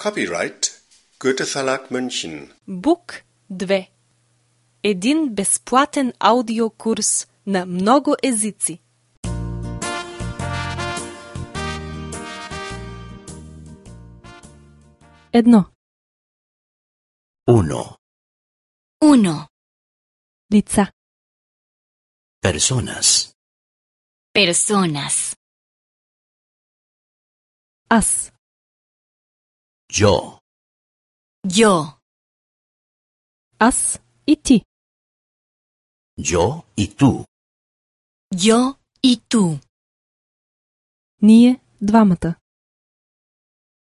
Copyright Goethe Verlag München. Бук 2. Един безплатен аудиокурс на много езици. Едно. Uno. Лица. Personas. Аз. Yo. Аз и ти. Yo y tú. Ние двамата.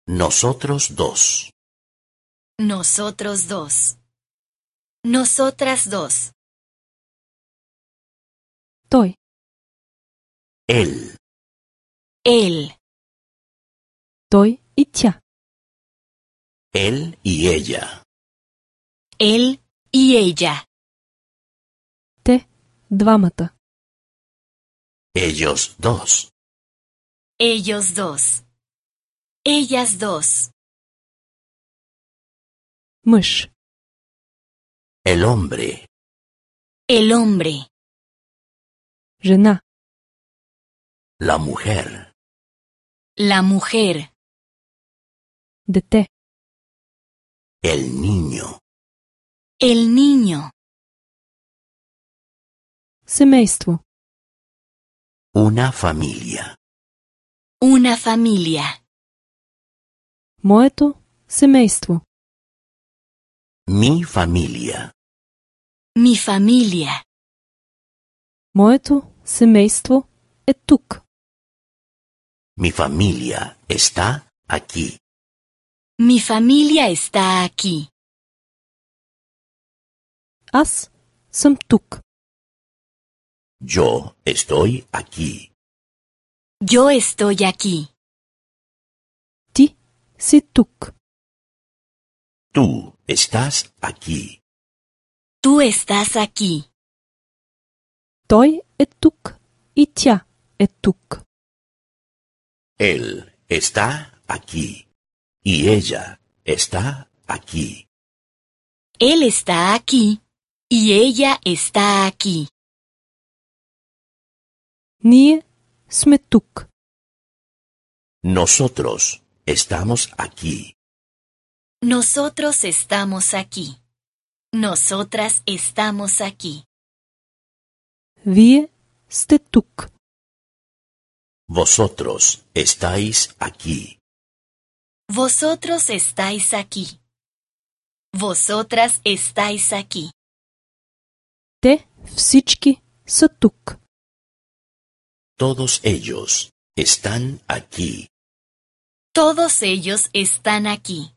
Nosotros dos. Nosotras dos. Той. Él. Той и тя. Él y ella. Те двамата. Ellos dos. Ellas dos. Мъж. El hombre. Жена. La mujer. La mujer. Дете. El niño. El niño. Семейство. Una familia. Una familia. Моето семейство. Mi familia. Mi familia. Моето семейство е тук. Mi familia está aquí. Mi familia está aquí. Аз съм тук. Yo estoy aquí. Yo estoy aquí. Ти си тук. Tú estás aquí. Tú estás aquí. Той е тук и тя е тук. Él está aquí. Y ella está aquí. Él está aquí. Y ella está aquí. Ние сме тук. Nosotros estamos aquí. Nosotros estamos aquí. Nosotras estamos aquí. Вие сте тук. Vosotros estáis aquí. Vosotros estáis aquí. Vosotras estáis aquí. Те всички са тук. Todos ellos están aquí. Todos ellos están aquí.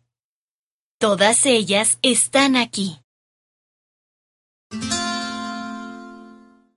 Todas ellas están aquí.